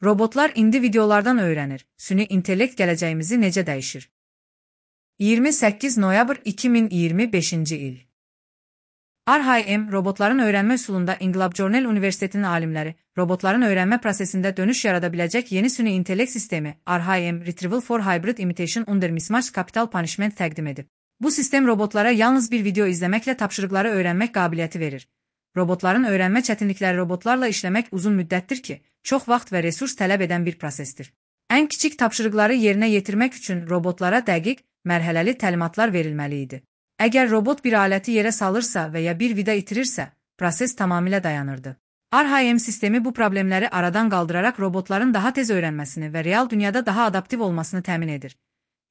Robotlar indi videolardan öyrənir. Süni intellekt gələcəyimizi necə dəyişir? 28 noyabr 2025-ci il. RHM, robotların öyrənmə üsulunda İnqilab Cornell Universitetinin alimləri, robotların öyrənmə prosesində dönüş yarada biləcək yeni süni intellekt sistemi, RHM, Retrieval for Hybrid Imitation Under Mismatched Capital Punishment təqdim edib. Bu sistem robotlara yalnız bir video izləməklə tapşırıqları öyrənmək qabiliyyəti verir. Robotların öyrənmə çətinlikləri robotlarla işləmək uzun müddətdir ki, çox vaxt və resurs tələb edən bir prosesdir. Ən kiçik tapşırıqları yerinə yetirmək üçün robotlara dəqiq, mərhələli təlimatlar verilməli idi. Əgər robot bir aləti yerə salırsa və ya bir vida itirirsə, proses tamamilə dayanırdı. RHM sistemi bu problemləri aradan qaldıraraq robotların daha tez öyrənməsini və real dünyada daha adaptiv olmasını təmin edir.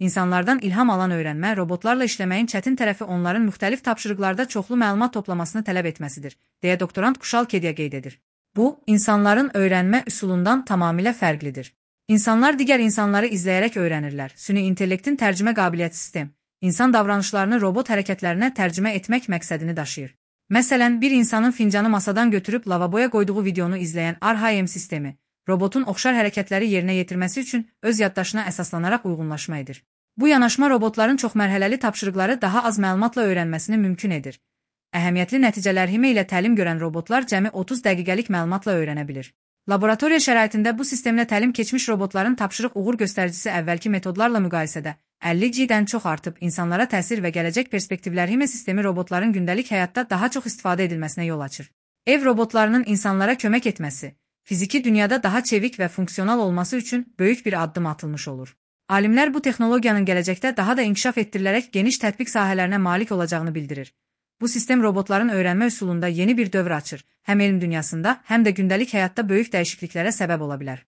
İnsanlardan ilham alan öyrənmə, robotlarla işləməyin çətin tərəfi onların müxtəlif tapşırıqlarda çoxlu məlumat toplamasını tələb etməsidir, deyə doktorant Kuşal Kediya qeyd edir. Bu, insanların öyrənmə üsulundan tamamilə fərqlidir. İnsanlar digər insanları izləyərək öyrənirlər. Süni intellektin tərcümə qabiliyyəti sistem, insan davranışlarını robot hərəkətlərinə tərcümə etmək məqsədini daşıyır. Məsələn, bir insanın fincanı masadan götürüb lavaboya qoyduğu videonu izləyən RHM sistemi, robotun oxşar hərəkətləri yerinə yetirməsi üçün öz yaddaşına əsaslanaraq uyğunlaşma edir. Bu yanaşma robotların çoxmərhələli tapşırıqları daha az məlumatla öyrənməsini mümkün edir. Əhəmiyyətli nəticələr ilə təlim görən robotlar cəmi 30 dəqiqəlik məlumatla öyrənə bilir. Laboratoriya şəraitində bu sistemlə təlim keçmiş robotların tapşırıq uğur göstəricisi əvvəlki metodlarla müqayisədə 50G-dən çox artıb, insanlara təsir və gələcək perspektivlər sistemi robotların gündəlik həyatda daha çox istifadə edilməsinə yol açır. Ev robotlarının insanlara kömək etməsi, fiziki dünyada daha çevik və funksional olması üçün böyük bir addım atılmış olur. Alimlər bu texnologiyanın gələcəkdə daha da inkişaf etdirilərək geniş tətbiq sahələrinə malik olacağını bildirir. Bu sistem robotların öyrənmə üsulunda yeni bir dövr açır, həm elm dünyasında, həm də gündəlik həyatda böyük dəyişikliklərə səbəb ola bilər.